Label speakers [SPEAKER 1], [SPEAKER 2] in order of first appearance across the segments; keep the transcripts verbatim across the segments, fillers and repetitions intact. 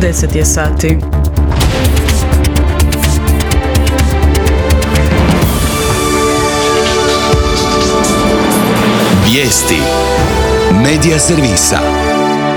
[SPEAKER 1] deset je sati.
[SPEAKER 2] Vijesti Medija servisa.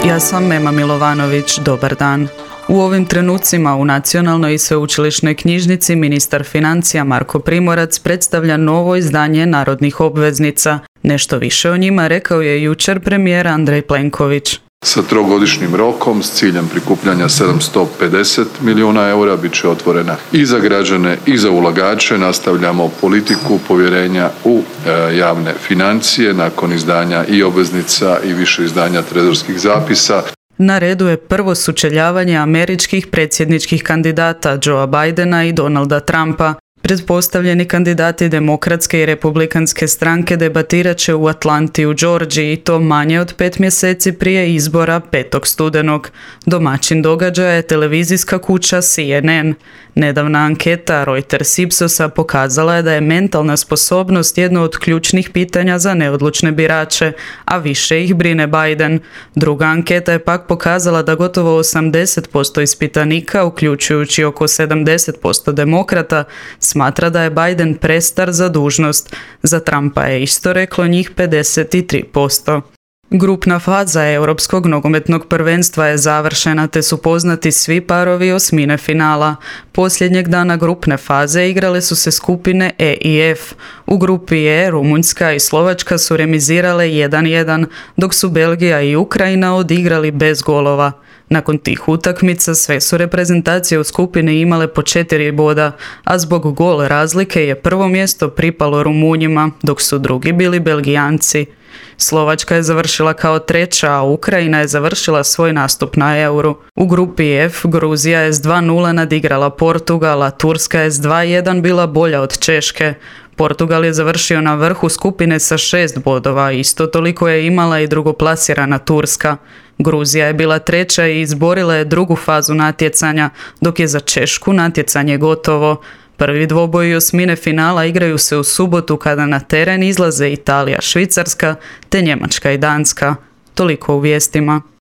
[SPEAKER 1] Ja sam Mema Milovanović, dobar dan. U ovim trenucima u Nacionalnoj i sveučilišnoj knjižnici ministar financija Marko Primorac predstavlja novo izdanje narodnih obveznica. Nešto više o njima rekao je jučer premijer Andrej Plenković.
[SPEAKER 3] Sa trogodišnjim rokom s ciljem prikupljanja sedamsto pedeset milijuna eura bit će otvorena i za građane i za ulagače. Nastavljamo politiku povjerenja u e, javne financije nakon izdanja i obveznica i više izdanja trezorskih zapisa.
[SPEAKER 1] Na redu je prvo sučeljavanje američkih predsjedničkih kandidata Joea Bidena i Donalda Trumpa. Pretpostavljeni kandidati demokratske i republikanske stranke debatirat će u Atlanti u Georgiji i to manje od pet mjeseci prije izbora petog studenog. Domaćin događaja je televizijska kuća C N N. Nedavna anketa Reuters Ipsosa pokazala je da je mentalna sposobnost jedno od ključnih pitanja za neodlučne birače, a više ih brine Biden. Druga anketa je pak pokazala da gotovo osamdeset posto ispitanika, uključujući oko sedamdeset posto demokrata, smatra da je Biden prestar za dužnost. Za Trumpa je isto reklo njih pedeset tri posto. Grupna faza Europskog nogometnog prvenstva je završena te su poznati svi parovi osmine finala. Posljednjeg dana grupne faze igrale su se skupine E i F. U grupi E Rumunjska i Slovačka su remizirale jedan jedan, dok su Belgija i Ukrajina odigrali bez golova. Nakon tih utakmica sve su reprezentacije u skupini imale po četiri boda, a zbog gol razlike je prvo mjesto pripalo Rumunjima, dok su drugi bili Belgijanci. Slovačka je završila kao treća, a Ukrajina je završila svoj nastup na Euru. U grupi F Gruzija je s dva nula nadigrala Portugal, a Turska je s dva jedan bila bolja od Češke. Portugal je završio na vrhu skupine sa šest bodova, isto toliko je imala i drugoplasirana Turska. Gruzija je bila treća i izborila je drugu fazu natjecanja, dok je za Češku natjecanje gotovo. Prvi dvoboji osmine finala igraju se u subotu kada na teren izlaze Italija, Švicarska te Njemačka i Danska. Toliko u vijestima.